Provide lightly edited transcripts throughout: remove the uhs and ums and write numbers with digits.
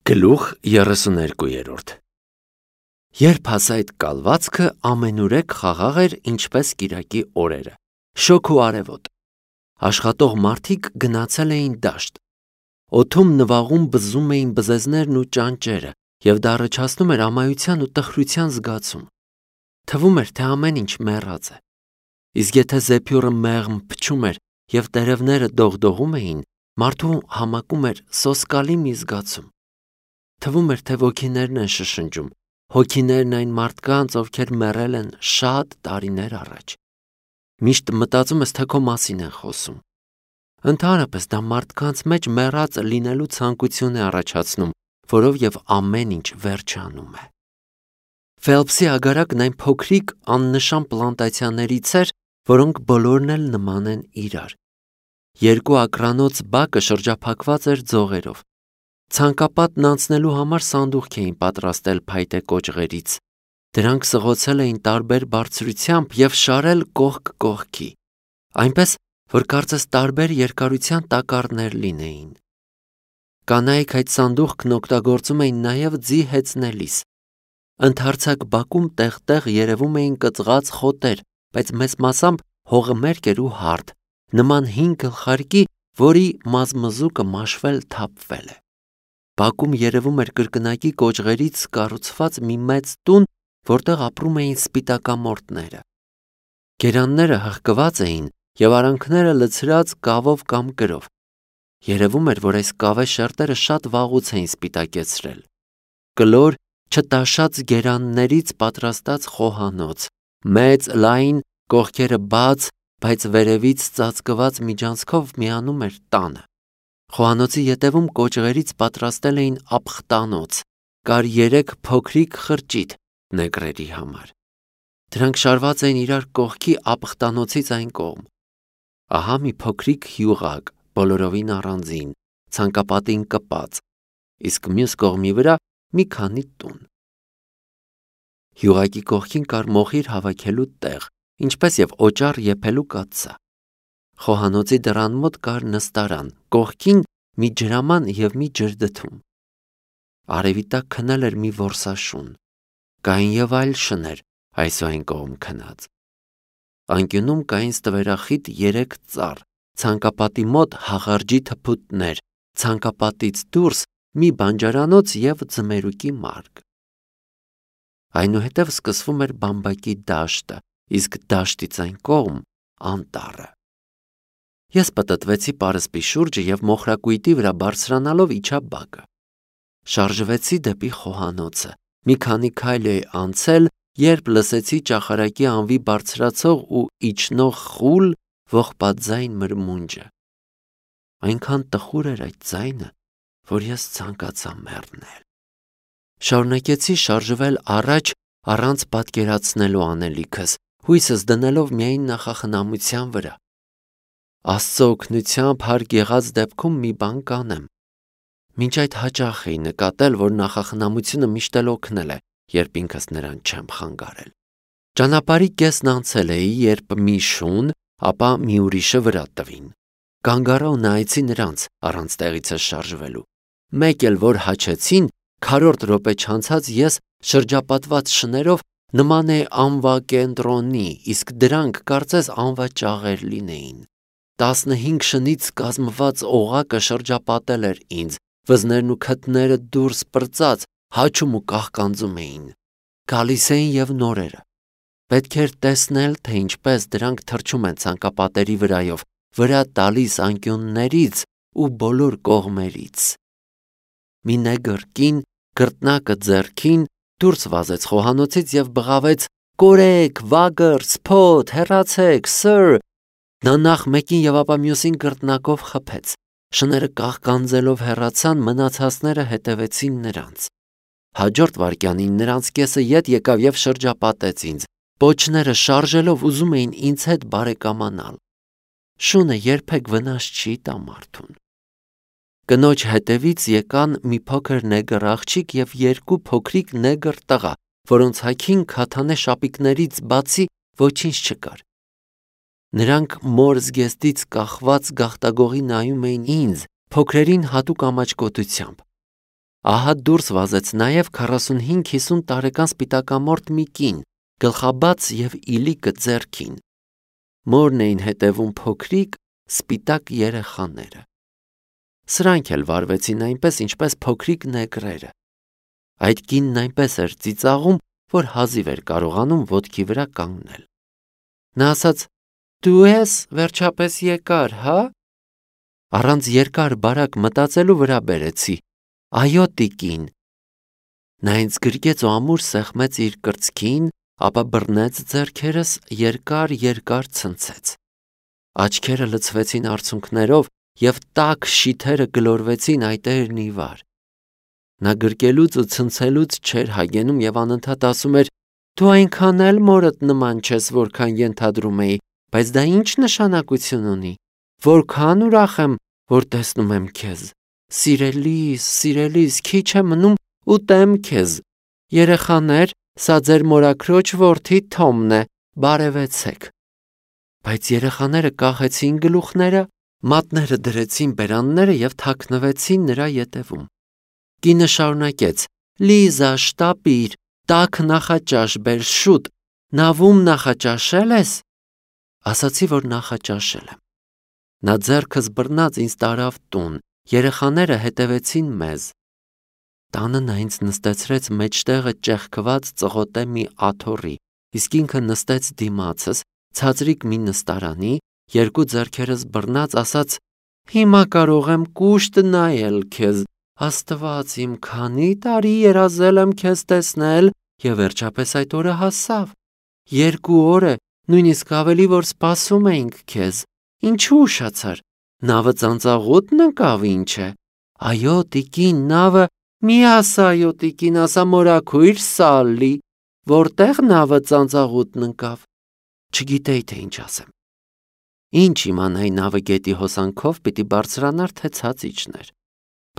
Գլուխ 32 Երբ հասա այդ կալվածքը, ամենուրեք խաղաղ էր, ինչպես կիրակի օրերը, շոգ ու արևոտ։ Աշխատող մարդիկ գնացել էին դաշտ։ Օդում նվաղում բզում էին բզեզներն ու ճանճերը, և դա առաջացնում էր ամայության ու տխրության զգացում։ Թվում էր, թե ամեն ինչ մեռած է։ Իսկ եթե զեփյուռը մեղմ փչում էր և տերևները դողդողում էին, մարդու համակում էր սոսկալի մի զգացում։ Թվում էր, թե ոգիներն են շշնջում, հոգիներն այն մարդկանց, ովքեր մեռել են շատ տարիներ առաջ։ Միշտ մտածում ես, թե քո մասին են խոսում։ Ընդհանրապես դա մարդկանց մեջ մեռած լինելու ցանկություն է առաջացնում, որով և ամեն ինչ վերջանում է։ Ֆելփսի ագարակն այն փոքրիկ աննշան պլանտացիաներից էր, որոնք բոլորն էլ նման են իրար։ Երկու ակրանոց բակը շրջափակված էր ձողերով։ Ցանկապատն անցնելու համար սանդուղք էին պատրաստել փայտե կոճղերից։ Դրանք սղոցել էին տարբեր բարձրությամբ և շարել կողք կողքի, այնպես, որ կարծես տարբեր երկարության տակառներ լինեին։ Կանայք այդ սանդուղքն օգտագործում էին նաև ձի հեծնելիս։ Ընդարձակ բակում տեղ-տեղ երևում էին կծղած խոտեր, բայց մեծ մասամբ հողը մերկ էր ու հարթ, նման հին գլխարկի, որի մազմզուկը մաշվել թափվել է։ Բակում երևում էր կրկնակի կոճղերից կառուցված մի մեծ տուն, որտեղ ապրում էին սպիտակամորթները։ Գերանները հղկված էին և արանքները լցրած կավով կամ կրով։ Երևում էր, որ այս կավե շերտերը շատ վաղուց էին սպիտակեցրել։ Կլոր, չտաշած գերաններից պատրաստած խոհանոց, մեծ, լայն, կողքերը բաց, բայց վերևից ծածկված միջանցքով միանում էր տանը։ Խոհանոցի ետևում կոճղերից պատրաստել էին ապխտանոց, կար 3 փոքրիկ խրճիթ նեգրերի համար։ Դրանք շարված էին իրար կողքի ապխտանոցից այն կողմ։ Ահա մի փոքրիկ հյուղակ, բոլորովին առանձին, ցանկապատին կպած, իսկ մյուս կողմի վրա մի քանի տուն։ Հյուղակի կողքին կար մոխիր հավաքելու տեղ, ինչպես և օճառ եփելու կաթսա։ Խոհանոցի դռան մոտ կար նստարան, կողքին մի ջրաման և մի ջրդթում։ Արևի տակ քնել էր մի որսաշուն։ Կային և այլ շներ այս ու այն կողմ քնած։ Անկյունում կային ստվերախիտ 3 ծառ, ցանկապատի մոտ հաղարջի թփուտներ, ցանկապատից դուրս մի բանջարանոց և ձմերուկի մարկ։ Այնուհետև սկսվում էր բամբակի դաշտը, իսկ դաշտից այն կողմ անտառը։ Ես պտտվեցի պարսպի շուրջը և մոխրակույտի վրա բարձրանալով իջա բակը։ Շարժվեցի դեպի խոհանոցը։ Մի քանի քայլ էի անցել, երբ լսեցի ճախարակի անվի բարձրացող ու իջնող խուլ, ողբաթձայն մրմունջը։ Այնքան տխուր էր այդ ձայնը, որ ես ցանկացա մեռնել։ Շարունակեցի շարժվել առաջ առանց պատկերացնելու անելիքս, հույսս դնելով միայն նախախնամության վրա։ Աստծո օգնությամբ հարկ եղած դեպքում մի բան կանեմ։ Մինչ այդ հաճախ էի նկատել, որ նախախնամությունը միշտ էլ օգնել է, երբ ինքս նրան չեմ խանգարել։ Ճանապարհի կեսն անցել էի, երբ մի շուն, ապա մի ուրիշը վրա տվին։ Կանգ առա ու նայեցի նրանց, առանց տեղիցս շարժվելու։ Մեկ էլ որ հաչեցին, քառորդ րոպե չանցած ես շրջապատված շներով նման էի անվա կենտրոնի, իսկ դրանք կարծես անվա ճաղեր լինեին։ 15 շնից կազմված օղակը շրջապատել էր ինձ, վզներն ու քթները դուրս պրծած հաչում ու կաղկանձում էին։ Գալիս էին և նորերը։ Պետք էր տեսնել, թե ինչպես դրանք թռչում են ցանկապատերի վրայով, վրա տալիս անկյուններից ու բոլոր կողմերից։ Մի նեգր կին, գռտնակը ձեռքին, դուրս վազեց խոհանոցից և բղավեց. «Կորեք, վագր, սփոթ, հեռացեք, սըր»։ Նա նախ մեկին և ապա մյուսին գռտնակով խփեց։ Շները կաղկանձելով հեռացան, մնացածները հետևեցին նրանց։ Հաջորդ վայրկյանին նրանց կեսը ետ եկավ և շրջապատեց ինձ։ Պոչները շարժելով ուզում էին ինձ հետ բարեկամանալ։ Շունը երբեք վնաս չի տա մարդուն։ Կնոջ հետևից եկան մի փոքր նեգր աղջիկ և 2 փոքրիկ նեգր տղա, որոնց հագին քաթանե շապիկներից բացի ոչինչ չկար։ Նրանք մոր զգեստից կախված գաղտագողի նայում էին ինձ, փոքրերին հատուկ ամաչկոտությամբ։ Ահա դուրս վազեց նաև 45-50 տարեկան սպիտակամորթ մի կին, գլխաբաց և իլիկը ձեռքին։ Մորն էին հետևում փոքրիկ, սպիտակ երեխաները։ Սրանք էլ վարվեցին այնպես, ինչպես փոքրիկ նեգրերը։ Այդ կինն այնպես էր ծիծաղում, որ հազիվ էր կարողանում ոտքի վրա կանգնել։ Նա ասաց. «Դու ես վերջապես եկար, հա»։ Առանց երկար բարակ մտածելու վրա բերեցի. «Այո, տիկին»։ Նա ինձ գրկեց ու ամուր սեղմեց իր կրծքին, ապա բռնեց ձեռքերս, երկար ցնցեց։ Աչքերը լցվեցին արցունքներով և տաք շիթերը գլորվեցին այտերն ի վար։ Նա գրկելուց ու ցնցելուց չէր հագենում և անընդհատ ասում էր. «Դու այնքան էլ մորդ նման չես, որքան ենթադրում էի, բայց դա ինչ նշանակություն ունի։ Որքան ուրախ եմ, որ տեսնում եմ քեզ։ Սիրելիս, քիչ է մնում ուտեմ քեզ։ Երեխաներ, սա ձեր մորաքրոջ որդի Թոմն է, բարևեցեք»։ Բայց երեխաները կախեցին գլուխները, մատները դրեցին բերանները և թաքնվեցին նրա ետևում։ Կինը շարունակեց. «Լիզա, շտապիր, տաք նախաճաշ բեր, շուտ, նավում նախաճաշել ես»։ Ասացի, որ նախաճաշել եմ։ Նա ձեռքս բռնած ինձ տարավ տուն, երեխաները հետևեցին մեզ։ Տանը նա ինձ նստեցրեց մեջտեղը ճեղքված ծղոտե մի աթոռի, իսկ ինքը նստեց դիմացս, ցածրիկ մի նստարանի, երկու ձեռքերս բռնած ասաց. «Հիմա կարող եմ կուշտ նայել քեզ, Աստված իմ, քանի տարի երազել եմ քեզ տեսնել և վերջապես այդ օրը հասավ։ 2 օր է, նույնիսկ ավելի, որ սպասում էինք քեզ։ Ինչու ուշացար։ Նավը ծանծաղուտն ընկավ, ինչ է։ Այո, տիկին, նավը, մի ասա այո, տիկին, ասա մորաքույր Սալլի, որտեղ նավը ծանծաղուտն ընկավ։ Չգիտեի, թե ինչ ասեմ։ Ինչ իմանայի նավը գետի հոսանքով պիտի բարձրանար, թե ցած իջներ։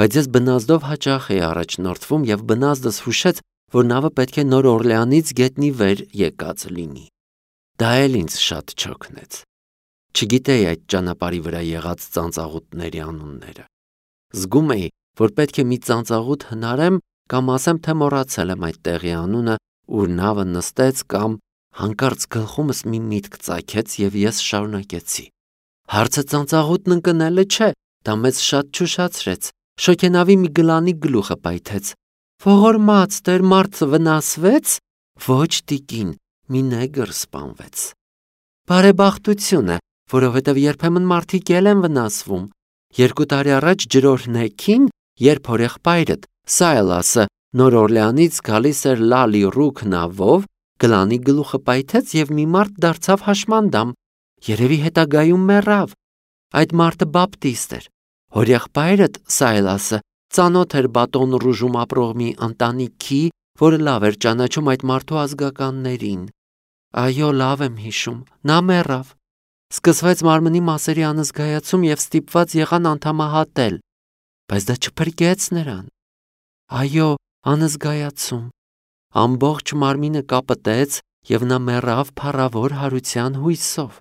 Բայց ես բնազդով հաճախ էի առաջնորդվում և բնազդս հուշեց, որ նավը պետք է Նոր Օրլեանից գետնի վեր եկած լինի։ Դա էլ ինձ շատ չօգնեց։ Չգիտեի այդ ճանապարհի վրա եղած ծանծաղուտների անունները։ Զգում էի, որ պետք է մի ծանծաղուտ հնարեմ կամ ասեմ, թե մոռացել եմ այդ տեղի անունը, ուր նավը նստեց կամ հանկարծ գլխումս մի միտք ծագեց և ես շարունակեցի. Հարցը ծանծաղուտն ընկնելը չէ, դա մեզ շատ չուշացրեց։ Շոգենավի մի գլանի գլուխը պայթեց։ Ողորմած Տեր, մարդը վնասվեց։ Ոչ, տիկին, մի նեգր սպանվեց։ Բարեբախտություն է, որովհետև երբեմն մարդիկ էլ են վնասվում։ 2 տարի առաջ ջրօրհնեքին, երբ հորեղբայրդ Սայլասը Նոր Օրլեանից գալիս էր Լալի Ռուք նավով, գլանի գլուխը պայթեց և մի մարդ դարձավ հաշմանդամ։ Երևի հետագայում մեռավ։ Այդ մարդը բապտիստ էր։ Հորեղբայրդ Սայլասը ծանոթ էր Բատոն Ռուժում ապրող մի ընտանիքի, որը լավ էր ճանաչում այդ մարդու ազգականներին։ Այո, լավ եմ հիշում, նա մեռավ։ Սկսվեց մարմնի մասերի անզգայացում և ստիպված եղան անդամահատել, բայց դա չփրկեց նրան։ Այո, անզգայացում։ Ամբողջ մարմինը կապտեց և նա մեռավ փառավոր հարության հույսով։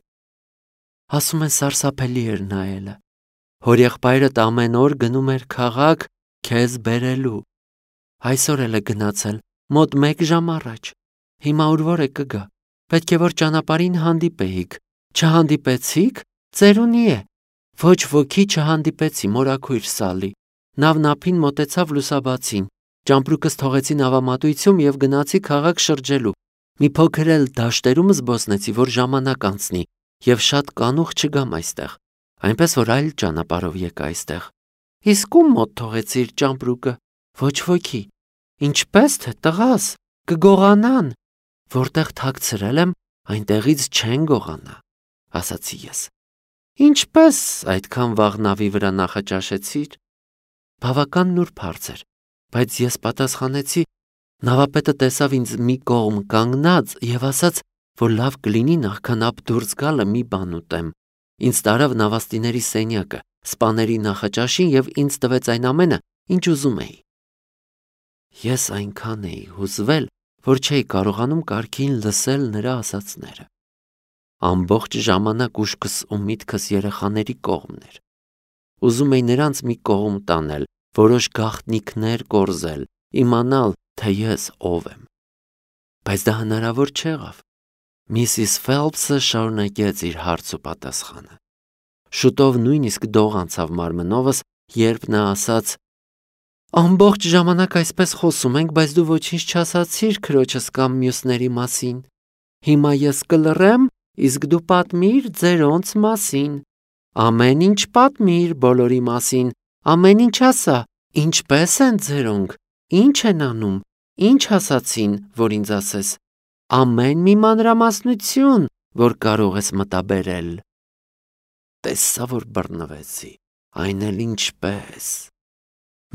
Ասում են սարսափելի էր նայելը։ Հորեղբայրդ ամեն օր գնում էր քաղաք քեզ բերելու։ Այսօր էլ է գնացել, մոտ 1 ժամ առաջ։ Հիմա ուր է կգա։ Պետք է որ ճանապարհին հանդիպեիք։ Չհանդիպեցիք, ծերունի է։ Ոչ ոքի չհանդիպեցի, մորաքույր Սալլի։ Նավն ափին մոտեցավ լուսաբացին։ Ճամպրուկս թողեցի նավամատույցում և գնացի քաղաք շրջելու։ Մի փոքր էլ դաշտերում զբոսնեցի, որ ժամանակ անցնի և շատ կանուխ չգամ այստեղ, այնպես որ այլ ճանապարհով եկա այստեղ։ Իսկ ում մոտ թողեցիր ճամպրուկը։ Ոչ ոքի։ Ինչպես թե տղաս, կգողանան։ Որտեղ թաքցրել եմ, այնտեղից չեն գողանա, ասացի ես։ Ինչպես այդքան վաղ նավի վրա նախաճաշեցիր։ Բավական նուրբ հարց էր, բայց ես պատասխանեցի, նավապետը տեսավ ինձ մի կողմ կանգնած և ասաց, որ լավ կլինի նախքան ափ դուրս գալը մի բան ուտեմ։ Ինձ տարավ նավաստիների սենյակը, սպաների նախաճաշին և ինձ տվեց այն ամենը, ինչ ուզում էի։ Ես այնքան էի հուզվել, որ չէի կարողանում կարգին լսել նրա ասածները։ Ամբողջ ժամանակ ուշքս ու միտքս երեխաների կողմն էր։ Ուզում էի նրանց մի կողմ տանել, որոշ գաղտնիքներ կորզել, իմանալ, թե ես ով եմ։ Բայց դա հնարավոր չեղավ։ Միսիս Ֆելփսը շարունակեց իր հարց ու պատասխանը։ Շուտով նույնիսկ դող անցավ մարմնովս, երբ նա ասաց. «Ամբողջ ժամանակ այսպես խոսում ենք, բայց դու ոչինչ չասացիր քրոջս կամ մյուսների մասին։ Հիմա ես կլռեմ, իսկ դու պատմիր ձերոնց մասին։ Ամեն ինչ պատմիր բոլորի մասին, ամեն ինչ ասա, ինչպես են ձերոնք, ինչ են անում, ինչ ասացին, որ ինձ ասես, ամեն մի մանրամասնություն, որ կարող ես մտաբերել»։ Տեսա, որ բռնվեցի, այն էլ ինչպես։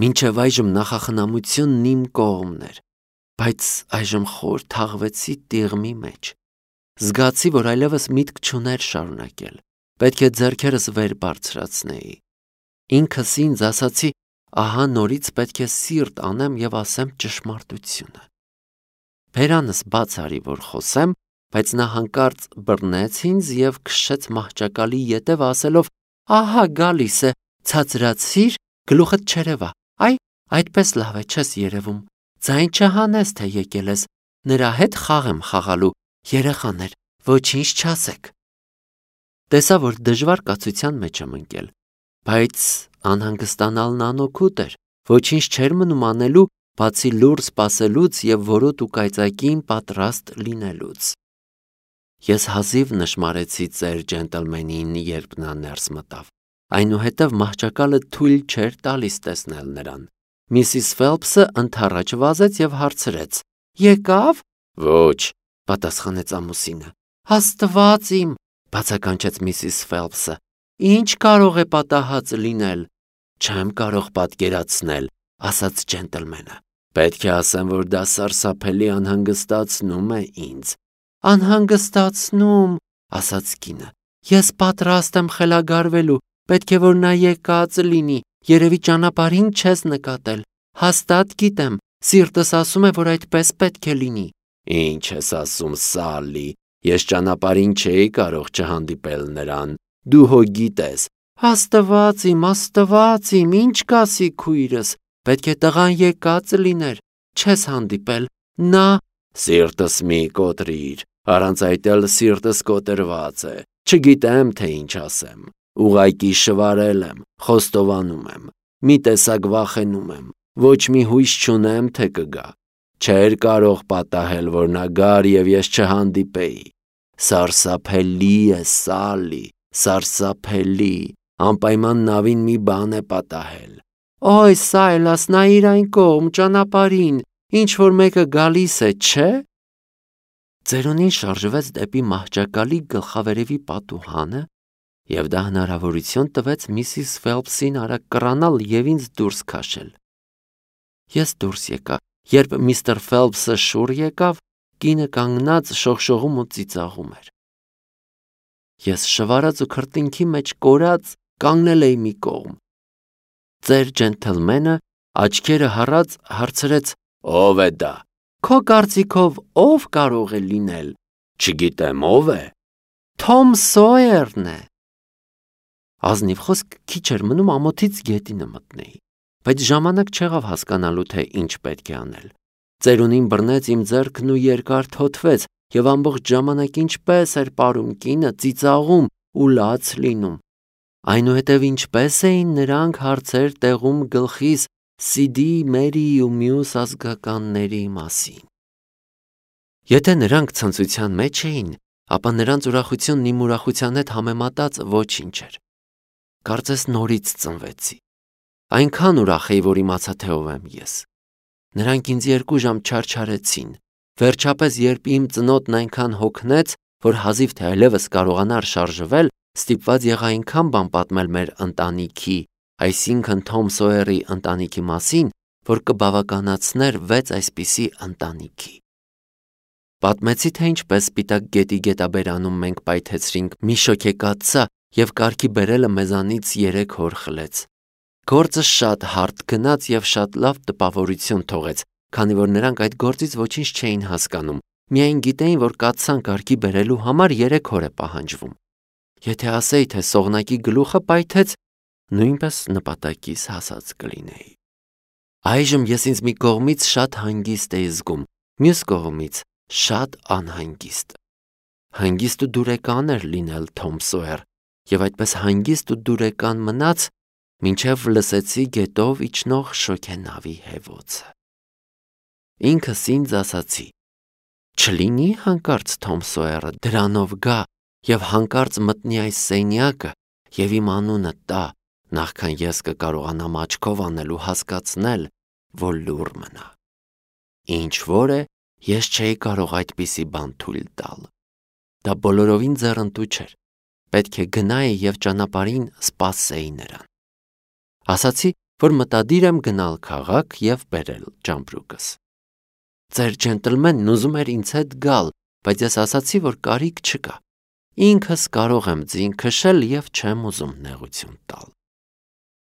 Մինչև այժմ նախախնամությունն իմ կողմն էր, բայց այժմ խոր թաղվեցի տիղմի մեջ։ Զգացի, որ այլևս միտք չուներ շարունակել, պետք է ձեռքերս վեր բարձրացնեի։ Ինքս ինձ ասացի, ահա նորից պետք է սիրտ անեմ և ասեմ ճշմարտությունը։ Բերանս բաց արի, որ խոսեմ, բայց նա հանկարծ բռնեց ինձ և քշեց մահճակալի ետև ասելով. «Ահա գալիս է, ցածրացիր, գլուխդ չերևա, այ, այդպես լավ է, չես երևում, ձայն չհանես, թե եկել ես, նրա հետ խաղ եմ խաղալու, երեխան էր, ոչինչ չասեք»։ Տեսա, որ դժվար կացության մեջ եմ ընկել, բայց անհանգստանալն անօգուտ էր, ոչինչ չէր մնում անելու, բացի լուռ սպասելուց և որոտ ու կայծակին պատրաստ լինելուց։ Ես հազիվ նշմարեցի ծեր ջենտլմենին, երբ նա ներս մտավ։ Այնուհետև մահճակալը թույլ չէր տալիս տեսնել նրան։ Միսիս Ֆելփսը ընդառաջ վազեց և հարցրեց. «Եկավ»։ «Ոչ», պատասխանեց ամուսինը։ «Աստված իմ», բացականչեց միսիս Ֆելփսը, «ինչ կարող է պատահած լինել»։ «Չեմ կարող պատկերացնել», ասաց ջենտլմենը։ «Պետք է ասեմ, որ դա սարսափելի անհանգստացնում է ինձ»։ «Անհանգստացնում», ասաց կինը, «ես պատրաստ եմ խելագարվելու, պետք է որ նա եկած լինի, երևի ճանապարհին չես նկատել, հաստատ գիտեմ, սիրտս ասում է, որ այդպես պետք է լինի»։ «Ինչ ես ասում, Սալլի, ես ճանապարհին չէի կարող չհանդիպել նրան, դու հո գիտես»։ «Աստված իմ, ինչ կասի քույրս, պետք է տղան եկած լիներ, չես հանդիպել, նա»։ «Սիրտս մի կոտրիր, առանց այդ էլ սիրտս կոտրված է, չգիտեմ, թե ինչ ասեմ, ուղղակի շվարել եմ, խոստովանում եմ, մի տեսակ վախենում եմ, ոչ մի հույս չունեմ, թե կգա։ Չէր կարող պատահել, որ նա գար և ես չհանդիպեի։ Սարսափելի է, Սալլի, սարսափելի, անպայման նավին մի բան է պատահել»։ «Օյ, Սայլաս, նայիր այն կողմ, ճանապարհին, ինչ-որ մեկը գալիս է, չէ՞։ Ծերունին շարժվեց դեպի մահճակալի գլխավերևի պատուհանը, և դա հնարավորություն տվեց միսիս Ֆելփսին արագ կռանալ և ինձ դուրս քաշել։ Ես դուրս եկա, երբ միստր Ֆելփսը շուռ եկավ, կինը կանգնած շողշողում ու ծիծաղում էր։ Ես շվարած ու քրտինքի մեջ կորած կանգնել էի մի կողմ։ Ծեր ջենթլմենը աչքերը հառած հարցրեց. «Ո՞վ է դա»։ «Քո կարծիքով ով կարող է լինել»։ «Չգիտեմ, ով է»։ «Թոմ Սոյերն է»։ Ազնիվ խոսք քիչ էր մնում ամոթից գետինը մտնեի, բայց ժամանակ չեղավ հասկանալու, թե ինչ պետք է անել։ Ծերունին բռնեց իմ ձեռքն ու երկար թոթվեց, և ամբողջ ժամանակ ինչպես էր պարում կինը, ծիծաղում ու լաց լինում։ Այնուհետև ինչպես էին նրանք հարցեր տեղում գլխիս Սիդի, Մերի ու մյուս ազգականների մասին։ Եթե նրանք ցնծության մեջ էին, ապա նրանց ուրախությունն իմ ուրախության հետ համեմատած ոչինչ էր։ Կարծես նորից ծնվեցի։ Այնքան ուրախ էի, որ իմացա, թե ով եմ ես։ Նրանք ինձ 2 ժամ չարչարեցին։ Վերջապես, երբ իմ ծնոտն այնքան հոգնեց, որ հազիվ թե այլևս կարողանար շարժվել, ստիպված եղա այնքան բան պատմել մեր ընտանիքի, այսինքն Թոմ Սոյերի ընտանիքի մասին, որ կբավականացներ 6 այսպիսի ընտանիքի։ Պատմեցի, թե ինչպես Սպիտակ գետի գետաբերանում մենք պայթեցրինք մի շոգեկաթսա և կարգի բերելը մեզանից 3 հոր խլեց։ Գործը շատ հարթ գնաց և շատ լավ տպավորություն թողեց, քանի որ նրանք այդ գործից ոչինչ չէին հասկանում, միայն գիտեին, որ կաթսան կարգի բերելու համար 3 օր է պահանջվում։ Եթե ասեի, թե սողնակի գլուխը պայթեց, նույնպես նպատակիս հասած կլինեի։ Այժմ ես ինձ մի կողմից շատ հանգիստ էի զգում, մյուս կողմից շատ անհանգիստ։ Հանգիստ ու դուրեկան էր լինել Թոմ Սոյեր, եւ այդպես հանգիստ ու դուրեկան մնաց, մինչև լսեցի գետով իջնող շոգենավի հևոցը։ Ինքս ինձ ասացի. չլինի հանկարծ Թոմ Սոյերը դրանով գա եւ հանկարծ մտնի այս սենյակը եւ իմ անունը տա, նախքան ես կկարողանամ աչքով անել ու հասկացնել, որ լուռ մնա։ Ինչ որ է, ես չէի կարող այդպիսի բան թույլ տալ։ Դա բոլորովին ձեռնտու չէր։ Պետք է գնայի եւ ճանապարհին սպասեի նրան։ Ասացի, որ մտադիր եմ գնալ քաղաք եւ բերել ճամպրուկս։ Ձեր ջենտլմենն ուզում էր ինձ հետ գալ, բայց ես ասացի, որ կարիք չկա։ Ինքս կարող եմ ձին քշել եւ չեմ ուզում նեղություն տալ։